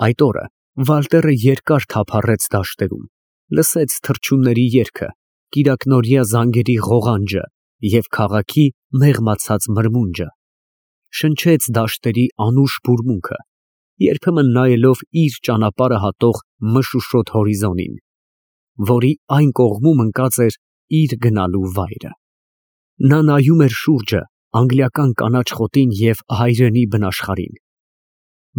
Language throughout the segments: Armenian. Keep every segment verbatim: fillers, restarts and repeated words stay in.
Այդ օրը Վալտերը երկար թափառեց դաշտերում, լսեց թռչունների երգը, կիրակնօրյա զանգերի ղողանջը և քաղաքի մեղմացած մրմունջը, շնչեց դաշտերի անուշ բուրմունքը, երբեմն նայելով իր ճանապարհը հատող մշուշոտ հորիզոնին, որի այն կողմում ընկած էր իր գնալու վայրը։ Նա նայում էր շուրջը անգլիական կանաչ խոտին և հայրենի բնաշխարհին,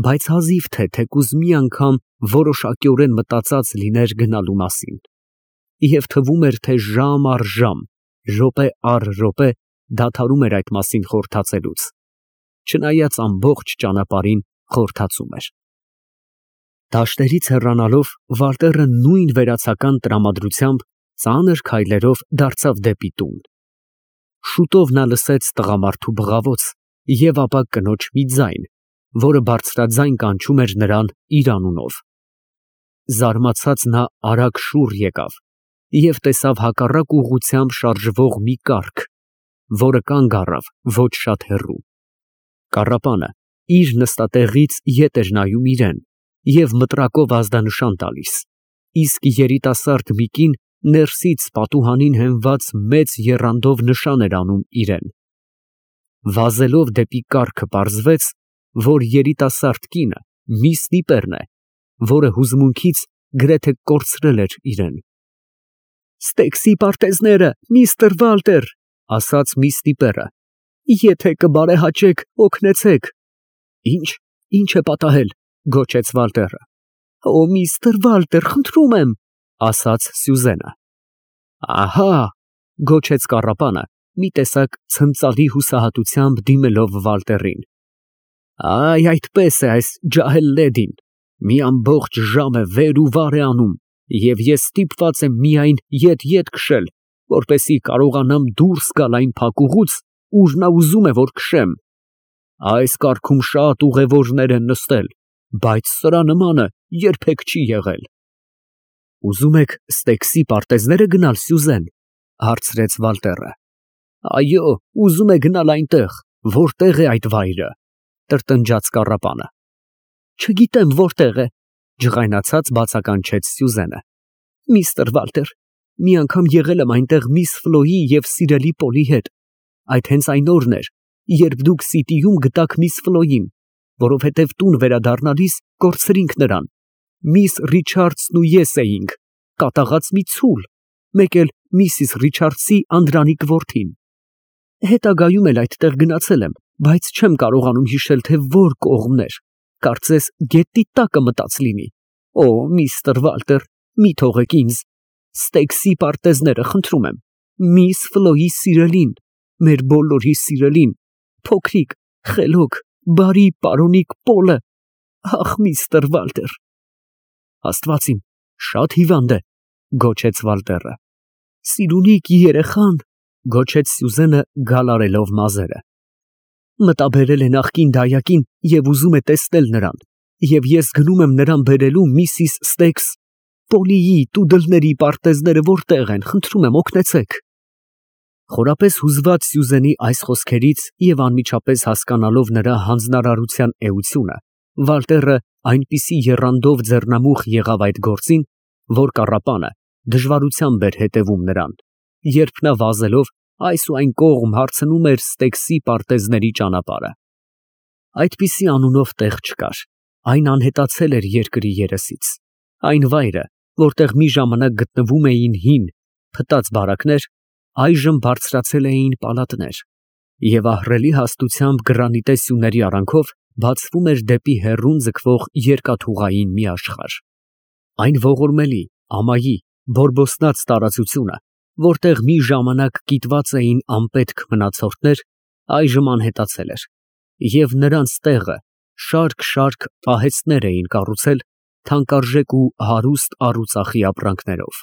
բայց հազիվ թե թեկուզ մի անգամ որոշակիորեն մտածած լիներ գնալու մասին, և թվում էր, թե ժամ առ ժամ, րոպե առ րոպե դադարում էր այդ մասին խորհրդածելուց, չնայած ամբողջ ճանապարհին խորհրդածում էր։ Դաշտերից հեռանալով Վալտերը նույն վերացական տրամադրությամբ ծանր քայլերով դարձավ դեպի տուն։ Շուտով նա լսեց տղամարդու բղավոց և ապա կնոջ մի ձայն, որը բարձրաձայն կանչում էր նրան իր անունով։ Զարմացած նա արագ շուռ եկավ և տեսավ հակառակ ուղղությամբ շարժվող մի կառք, որը կանգ առավ ոչ շատ հեռու։ Կառապանը իր նստատեղից ետ էր նայում իրան և մտրակով ազդանշան տալիս, իսկ երիտասարդ մի կին ներսից պատուհանին հենված մեծ եռանդով նշան էր անում իրան։ Վազելով դեպի կառքը պարզվեց, որ երիտասարդ կինը մի ստիպեռն է, որը հուզմունքից գրեթե կորցրել էր իրան։ «Ստեյքսի պարտեզները, միստր Վալտեր», ֊ ասաց մի ստիպեռը, ֊ եթե կբարեհաճեք, օգնեցեք։ «Ի՞նչ, ի՞նչ է պատահել», ֊ գոչեց Վալտերը։ «Օ, միստր Վալտեր, խնդրում եմ», ֊ ասաց Սյուզենը։ «Ահա», ֊ գոչեց կառապանը, մի տեսակ ցնծալի հուսահատությամբ դիմելով Վալտերին, «այ այդպես է այս ջահել լեդին, մի ամբողջ ժամ է վեր ու վար է անում, և ես ստիպված եմ միայն ետ֊ետ քշել, որպեսզի կարողանամ դուրս գալ այն փակուղուց, ուր նա ուզում է, որ քշեմ։ Այս կառքում շատ ուղևորներ են նստել, բայց սրա նմանը երբեք չի եղել»։ «Ուզում եք Ստեյքսի պարտեզնե՞րը գնալ, Սյուզեն», ֊ հարցրեց Վալտերը։ «Այո, ուզում է գնալ այնտեղ, որտեղ է այդ վայրը», ֊ տրտնջաց կառապանը։ «Չգիտեմ որտեղ է», ֊ ջղայնացած բացականչեց Սյուզենը։ «Միստր Վալտեր, մի անգամ եղել եմ այնտեղ միս Ֆլոյի և սիրելի Պոլի հետ, այդ հենց այն օրն էր, երբ դուք Սիտիում գտաք միս Ֆլոյին, որովհետև տուն վերադառնալիս կորցրինք նրան, միս Ռիչարդսն ու ես էինք, կատաղած մի ցուլ, մեկ էլ միսիս Ռիչարդսի անդրանիկ որդին։ Հետագայում էլ այդտեղ գնացել եմ, բայց չեմ կարողանում հիշել, թե որ կողմն էր, կարծես գետնի տակը մտած լինի։ Օ, միստր Վալտեր, մի թողեք ինձ, Ստեյքսի պարտեզները, խնդրում եմ, միս Ֆլոյի սիրելին, մեր բոլորի սիրելին, փոքրիկ, խելոք, բարի պարոնիկ Պոլը, ախ, միստր Վալտեր»։ «Աստված իմ, շատ հիվանդ է», ֊ գոչեց Վալտերը։ «Սիրունիկ երեխան», ֊ գոչեց Սյուզենը գալ արելով մազերը, «մտաբերել է նախկին դայակին և ուզում է տեսնել նրան, և ես գնում եմ նրան բերելու միսիս Ստեյքս։ Պոլիի, տուդլների պարտեզները որտեղ են, խնդրում եմ, օգնեցեք»։ Խորապես հուզված Սյուզենի այս խոսքերից և անմիջապես հասկանալով նրա հանձնարարության էությունը, Վալտերը այնպիսի եռանդով ձեռնամուխ եղավ այդ գործին, որ կառապանը դժվարությամբ էր հետևում նրան, երբ նա վազելով այս ու այն կողմ հարցնում էր Ստեյքսի պարտեզների ճանապարհը։ Այդպիսի անունով տեղ չկար, այն անհետացել էր երկրի երեսից։ Այն վայրը, որտեղ մի ժամանակ գտնվում էին հին, փտած բարակներ, այժմ բարձրացել էին պալատներ, և ահռելի հաստությամբ գրանիտե սյուների արանքով բացվում էր դեպի հեռուն ձգվող երկաթուղային մի աշխարհ։ Այն ողորմելի, ամայի, բորբոսնած տարածությունը, որտեղ մի ժամանակ կիտված էին անպետք մնացորդներ, այժմ անհետացել էր, և նրանց տեղը շարք֊շարք պահեստներ էին կառուցել թանկարժեք ու հարուստ առուծախի ապրանքներով։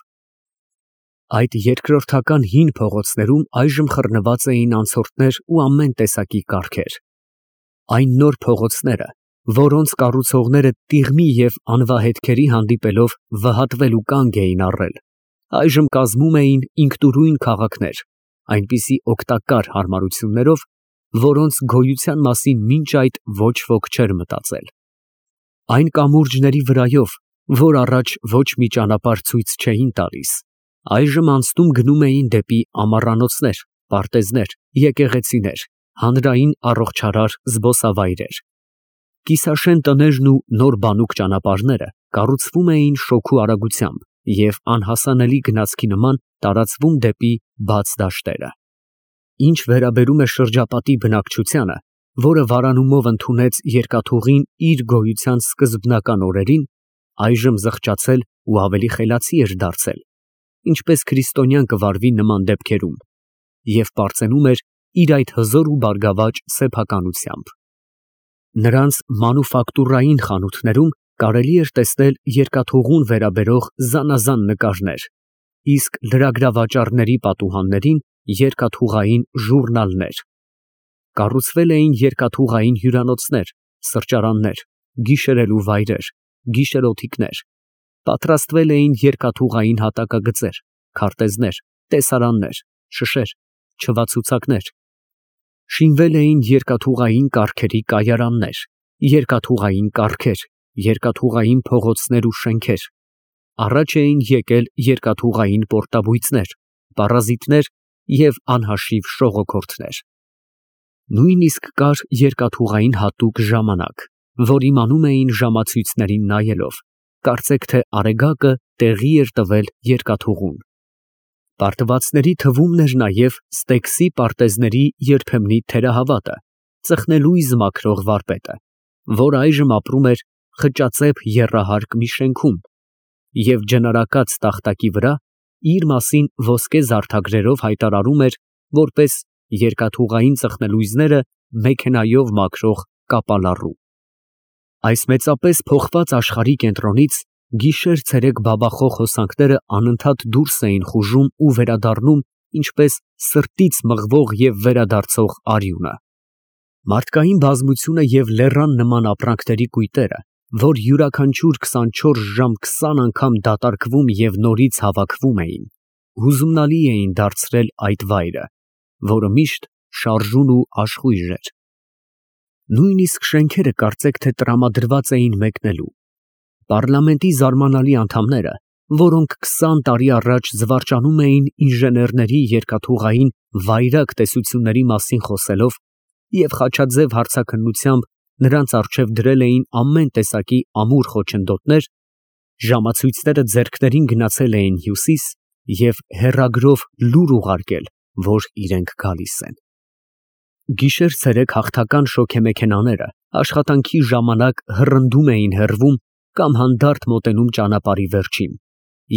Այդ երկրորդական հին փողոցներում այժմ խռնված էին անցորդներ ու ամեն տեսակի կառքեր։ Այն նոր փողոցները, որոնց կառուցողները տիղմի և անվահետքերի հանդիպելով վհատվել ու կանգ էին առել, այժմ կազմում էին ինքնուրույն քաղաքներ, այնպիսի օգտակար հարմարություններով, որոնց գոյության մասին մինչ այդ ոչ ոք չէր մտածել։ Այն կամուրջների վրայով, որ առաջ ոչ մի ճանապարհ ցույց չէին տալիս, այժմ անցնում գնում էին դեպի ամառանոցներ, պարտեզներ, եկեղեցիներ, հանրային առողջարար զբոսավայրեր։ Կիսաշեն տներն ու նոր բանուկ ճանապարհները կառուցվում էին շոգու արագությամբ և անհասանելի գնացքի նման տարածվում դեպի բաց դաշտերը։ Ինչ վերաբերում է շրջապատի բնակչությանը, որը վարանումով ընդունեց երկաթուղին իր գոյության սկզբնական օրերին, այժմ զղջացել ու ավելի խելացի էր դարձել, ինչպես քրիստոնյան կվարվի նման դեպքերում, և պարծենում էր իր այդ հզոր ու բարգավաճ սեփականությամբ։ Նրանց մանուֆակտուրային խանութներում կարելի էր տեսնել երկաթուղուն վերաբերող զանազան նկարներ, իսկ լրագրավաճառների պատուհաններին երկաթուղային ժուրնալներ։ Կառուցվել էին երկաթուղային հյուրանոցներ, սրճարաններ, գիշերելու վայրեր, գիշերօթիկներ, պատրաստվել էին երկաթուղային հատակագծեր, քարտեզներ, տեսարաններ, շշեր, չվացուցակներ։ Շինվել էին երկաթուղային կառքերի կայարաններ, երկաթուղային կառքեր, երկաթուղային փողոցներ ու շենքեր, առաջ էին եկել երկաթուղային պորտաբույծներ, պարազիտներ և անհաշիվ շողոքորթներ։ Նույնիսկ կար երկաթուղային հատուկ ժամանակ, որ իմանում էին ժամացույցներին նայելով, կարծեք թե արեգակը տեղի էր տվել երկաթուղուն։ Պարտվածների թվում էր նաև Ստեքսի պարտեզների երբեմնի թերահավատը, ծխնելույզ մաքրող վարպետը, որ այժմ ապրում էր խճածեպ եռահարկ մի շենքում և ջնարակաց տախտակի վրա իր մասին ոսկե զարդագրերով հայտարարում էր որպես երկաթուղային ծխնելույզները մեքենայով մաքրող կապալառու։ Այս մեծապես փոխված աշխարհի կենտրոնից գիշեր֊ցերեկ բաբախող հոսանքները անընդհատ դուրս էին խուժում ու վերադառնում ինչպես սրտից մղվող և վերադարձող արյունը։ Մարդկային բազմությունը և լեռան նման ապրանքների կույտերը, որ յուրաքանչյուր քսանչորս ժամ քսան անգամ դատարկվում և նորից հավաքվում էին, հուզումնալի էին դարձրել այդ վայրը, որը միշտ շարժուն ու աշխույժ էր։ Նույնիսկ շենքերը կարծեք թե տրամադրված էին մեկնելու։ Պառլամենտի զարմանալի անդամները, որոնք քսան տարի առաջ զվարճանում էին ինժեներների երկաթուղային վայրագ տեսությունների մասին խոսելով և խաչաձև հարցաքննությամբ նրանց առջև դրել էին ամեն տեսակի ամուր խոչընդոտներ, ժամացույցները ձեռքներին գնացել էին Հյուսիս և հեռագրով լուր ուղարկել, որ իրենք գալիս են։ Գիշեր֊ցերեկ հաղթական շոգեմեքենաները աշխատանքի ժամանակ հռնդում էին հեռվում կամ հանդարտ մոտենում ճանապարհի վերջին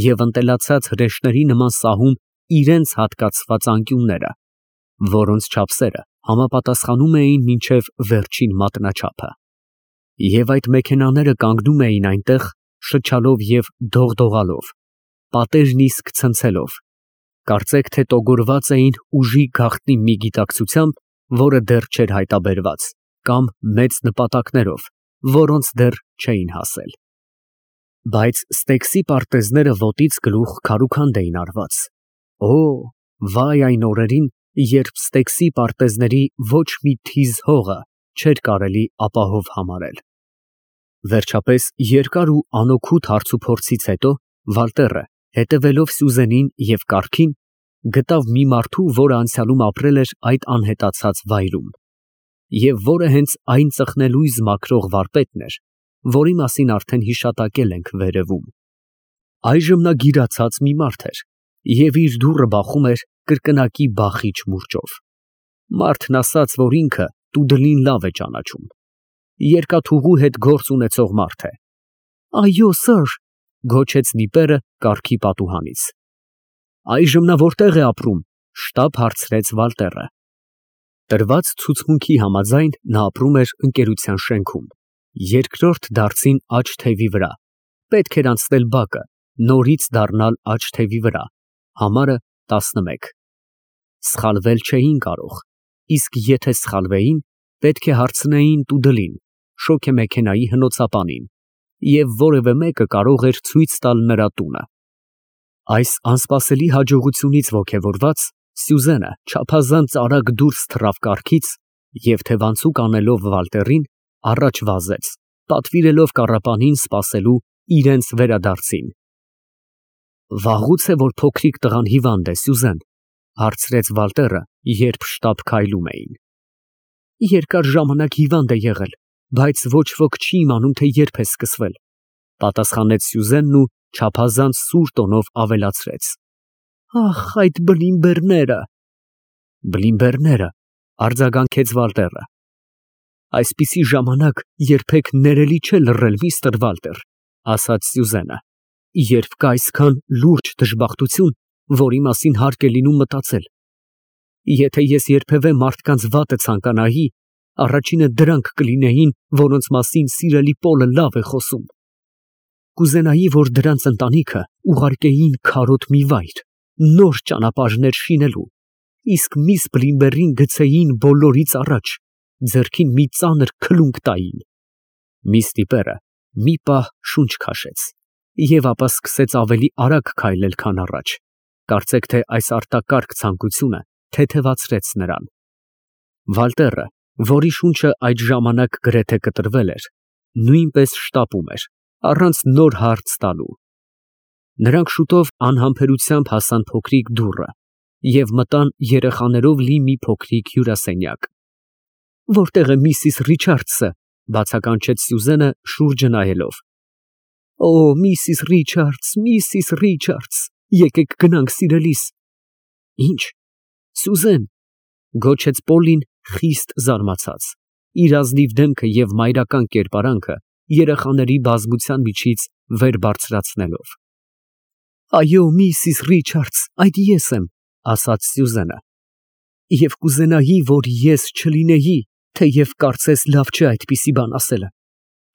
և ընտելացած հրեշների նման սահում իրենց հատկացված անկյունները, որոնց չափսերը համապատասխանում էին մինչև վերջին մատնաչափը։ Եվ այդ մեքենաները կանգնում էին այնտեղ, շչալով և դողդողալով, պատերն իսկ ցնցելով, կարծեք թե տոգորված էին ուժի գաղտնի մի գիտակցությամբ, որը դեռ չէր հայտաբերված, կամ մեծ նպատակներով, որոնց դեռ չէին հասել։ Բայց Ստեքսի պարտեզները ոտից գլուխ քարուքանդ էին արված։ Օ, վայ այն օրերին, երբ Ստեքսի պարտեզների ոչ մի թիզ հողը չէր կարելի ապահով համարել։ Վերջապես երկար ու անօգուտ հարցուփորձից հետո Վալտերը, հետևելով Սյուզենին և կառքին, գտավ մի մարդու, որը անցյալում ապրել էր այդ անհետացած վայրում, և որը հենց այն ծխնելույզ մաքրող վարպետն էր, որի մասին արդեն հիշատակել ենք վերևում։ Այժմ նա գիրացած մի մարդ էր և իր դուռը բախում էր կրկնակի բախիչ մուրճով։ Մարդն ասաց, որ ինքը տուդլին լավ է ճանաչում։ Երկաթուղու հետ գործ ունեցող մարդ է։ Այո, սըր, գոչեց նիպերը կառքի պատուհանից։ Այժմ նա որտե՞ղ է ապրում, շտապ հարցրեց Վալտերը։ Տրված ցուցմունքի համաձայն նա ապրում էր ընկերության շենքում, երկրորդ դարձին աջ թևի վրա, պետք էր անցնել բակը, նորից դառնալ աջ թևի վրա, համարը տասնմեկ։ Սխալվել չէին կարող, իսկ եթե սխալվեին, պետք է հարցնեին տուդլին, շոգեմեքենայի հնոցապանին, և որևէ մեկը կարող էր ցույց տալ նրա տունը։ Այս անսպասելի հաջողությունից ոգևորված, Սյուզենը չափազանց արագ դուրս թռավ կառքից և թևանցուկ անելով Վալտերին, առաջ վազեց, պատվիրելով կառապանին սպասելու իրենց վերադարձին։ Վաղուց է, որ փոքրիկ տղան հիվանդ է, Սյուզեն, հարցրեց Վալտերը, երբ շտապ քայլում էին։ Երկար ժամանակ հիվանդ է եղել, բայց ոչ ոք չի իմանում, թե երբ է սկսվել, պատասխանեց Սյուզենն ու չափազանց սուր տոնով ավելացրեց. Ախ, այդ բլինբերները։ Բլինբերները, արձագանքեց Վալտերը։ Այսպիսի ժամանակ երբեք ներելի չէ լռել, միստր Վալտեր, ասաց Սյուզենը, երբ կա այսքան լուրջ դժբախտություն, որի մասին հարկ է լինում մտածել։ Եթե ես երբևէ մարդկանց վատը ցանկանայի, առաջինը դրանք կլինեին, որոնց մասին սիրելի Պոլը լավ է խոսում։ Կուզենայի, որ դրանց ընտանիքը ուղարկեին քարոտ մի վայր, նոր ճանապարհներ շինելու, իսկ միս Բլինբերին գցեին բոլորից առաջ, ձեռքին մի ծանր քլունկ տային։ Միս տիպերը մի պահ շունչ քաշեց և ապա սկսեց ավելի արագ քայլել, քան առաջ, կարծեք թե այս արտակարգ ցանկությունը թեթևացրեց նրան։ Վալտերը, որի շունչը այդ ժամանակ գրեթե կտրվել էր, նույնպես շտապում էր, առանց նոր հարց տալու։ Նրանք շուտով անհամբերությամբ հասան փոքրիկ դուռը և մտան երեխաներով լի մի փոքրիկ հյուրասենյակ։ Որտե՞ղ է միսիս Ռիչարդսը, բացականչեց Սյուզենը շուրջը նայելով։ Օ, միսիս Ռիչարդս, միսիս Ռիչարդս, եկեք գնանք, սիրելիս։ Ինչ, Սյուզեն, գոչեց Պոլին խիստ զարմացած, իր ազնիվ դեմքը և մայրական կերպարանքը երեխաների բազմության միջից վեր բարձրացնելով։ Այո, միսիս Ռիչարդս, այդ ես եմ, ասաց Սյուզենը, և կուզենայի, որ ես չլինեի, թեև կարծես լավ չէ այդպիսի բան ասելը։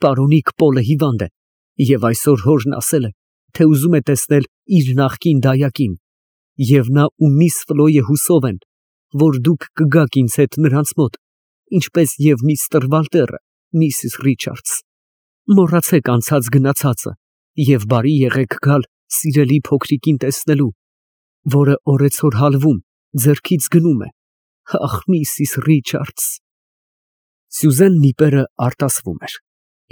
Պարոնիկ Պոլը հիվանդ է, և այսօր հորն ասել է, թե ուզում է տեսնել իր նախկին դայակին, և նա ու միս Ֆլոյը հուսով են, որ դուք կգաք ինձ հետ նրանց մոտ, ինչպես և միստր Վալտերը, միսիս Ռիչարդս։ Մոռացեք անցած գնացածը և բարի եղեք գալ սիրելի փոքրիկին տեսնելու, որը օրեցօր հալվում, ձեռքից գնում է։ Ախ, միսիս Ռիչարդս։ Սյուզենն իպերը արտասվում էր,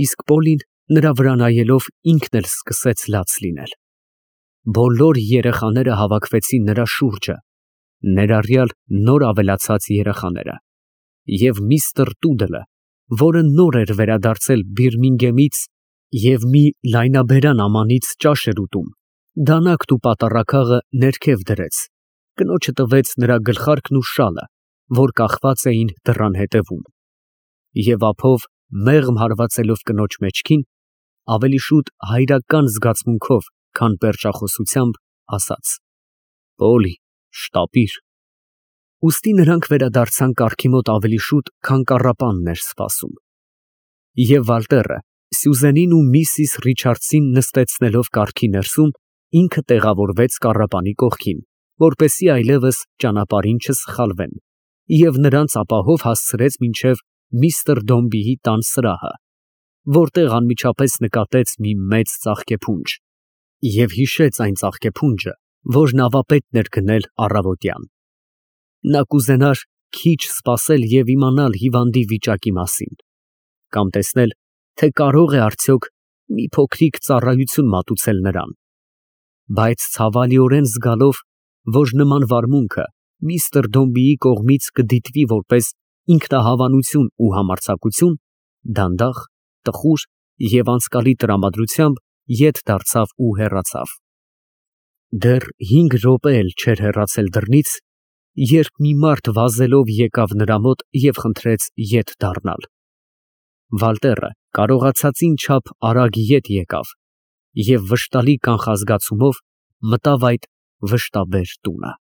իսկ Պոլին նրա վրա նայելով ինքն էլ սկսեց լաց լինել։ Բոլոր երեխաները հավաքվեցին նրա շուրջը, ներառյալ նոր ավելացած երեխաները, և միստր Տուդլը, որը նոր էր վերադարձել Բիրմինգեմից և մի լայնաբերան ամանից ճաշ էր ուտում, դանակն ու պատառաքաղը ներքև դրեց, կնոջը տվեց նրա գլխարկն ու շալը, որ կախված էին դռան ետևում, և ափով մեղմ հարվածելով կնոջ մեջքին, ավելի շուտ հայրական զգացմունքով, քան պերճախոսությամբ, ասաց. Պոլի, շտապիր։ Ուստի նրանք վերադարձան կառքի մոտ ավելի շուտ, քան կառապանն էր սպասում։ Եվ Վալտերը, Սյուզենին ու միսիս Ռիչարդսին նստեցնելով կառքի ներսում, ինքը տեղավորվեց կառապանի կողքին, որպեսզի այլևս ճանապարհին չսխալվեն, և նրանց ապահով հասցրեց մինչև միստր Դոմբիի տան սրահը, որտեղ անմիջապես նկատեց մի մեծ ծաղկեփունջ և հիշեց այն ծաղկեփունջը, որն ավապետն էր գնել առավոտյան։ Նա կուզենար քիչ սպասել և իմանալ հիվանդի վիճակի մասին, կամ տեսնել, թե կարող է արդյոք մի փոքրիկ ծառայություն մատուցել նրան, բայց ցավալիորեն զգալով, որ նման վարմունքը միստր Դոմբիի կողմից կդիտվի որպես ինքնահավանություն ու համարձակություն, դանդաղ, տխուր և անցկալի տրամադրությամբ ետ դարձավ ու հեռացավ։ Դեռ հինգ րոպե էլ չէր հեռացել դռնից, երբ մի մարդ վազելով եկավ նրա մոտ և խնդրեց ետ դառնալ։ Վալտերը կարողացածին չափ արագ ետ եկավ և վշտալի կանխազգացումով մտավ այդ վշտաբեր տունը։